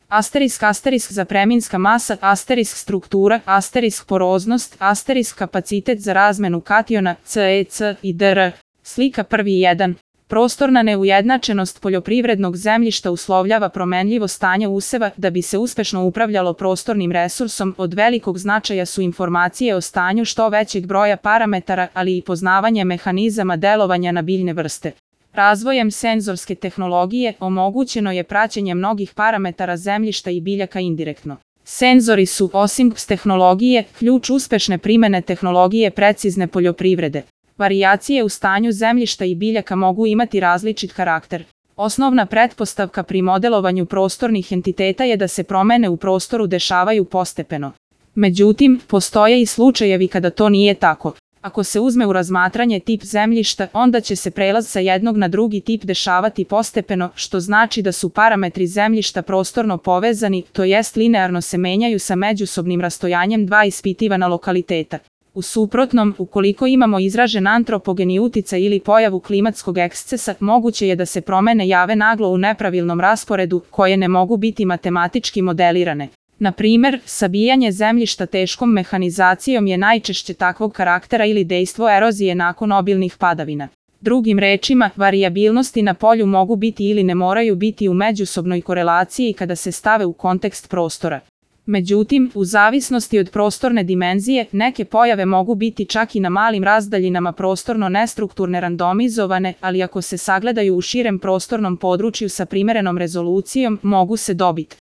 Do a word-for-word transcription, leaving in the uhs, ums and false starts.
Asterisk asterisk zapreminska masa, asterisk struktura, asterisk poroznost, asterisk kapacitet za razmenu kationa, C E C i D R. Slika prvi jedan. Prostorna neujednačenost poljoprivrednog zemljišta uslovljava promenljivo stanje useva. Da bi se uspešno upravljalo prostornim resursom, od velikog značaja su informacije o stanju što većeg broja parametara, ali i poznavanje mehanizama delovanja na biljne vrste. Razvojem senzorske tehnologije omogućeno je praćenje mnogih parametara zemljišta i biljaka indirektno. Senzori su, osim tehnologije, ključ uspešne primene tehnologije precizne poljoprivrede. Varijacije u stanju zemljišta i biljaka mogu imati različit karakter. Osnovna pretpostavka pri modelovanju prostornih entiteta je da se promene u prostoru dešavaju postepeno. Međutim, postoje i slučajevi kada to nije tako. Ako se uzme u razmatranje tip zemljišta, onda će se prelaz sa jednog na drugi tip dešavati postepeno, što znači da su parametri zemljišta prostorno povezani, to jest linearno se menjaju sa međusobnim rastojanjem dva ispitivana lokaliteta. U suprotnom, ukoliko imamo izražen antropogeni uticaj ili pojavu klimatskog ekscesa, moguće je da se promene jave naglo u nepravilnom rasporedu, koje ne mogu biti matematički modelirane. Na primer, sabijanje zemljišta teškom mehanizacijom je najčešće takvog karaktera ili dejstvo erozije nakon obilnih padavina. Drugim rečima, varijabilnosti na polju mogu biti ili ne moraju biti u međusobnoj korelaciji kada se stave u kontekst prostora. Međutim, u zavisnosti od prostorne dimenzije, neke pojave mogu biti čak i na malim razdaljinama prostorno nestrukturne randomizovane, ali ako se sagledaju u širem prostornom području sa primerenom rezolucijom, mogu se dobiti.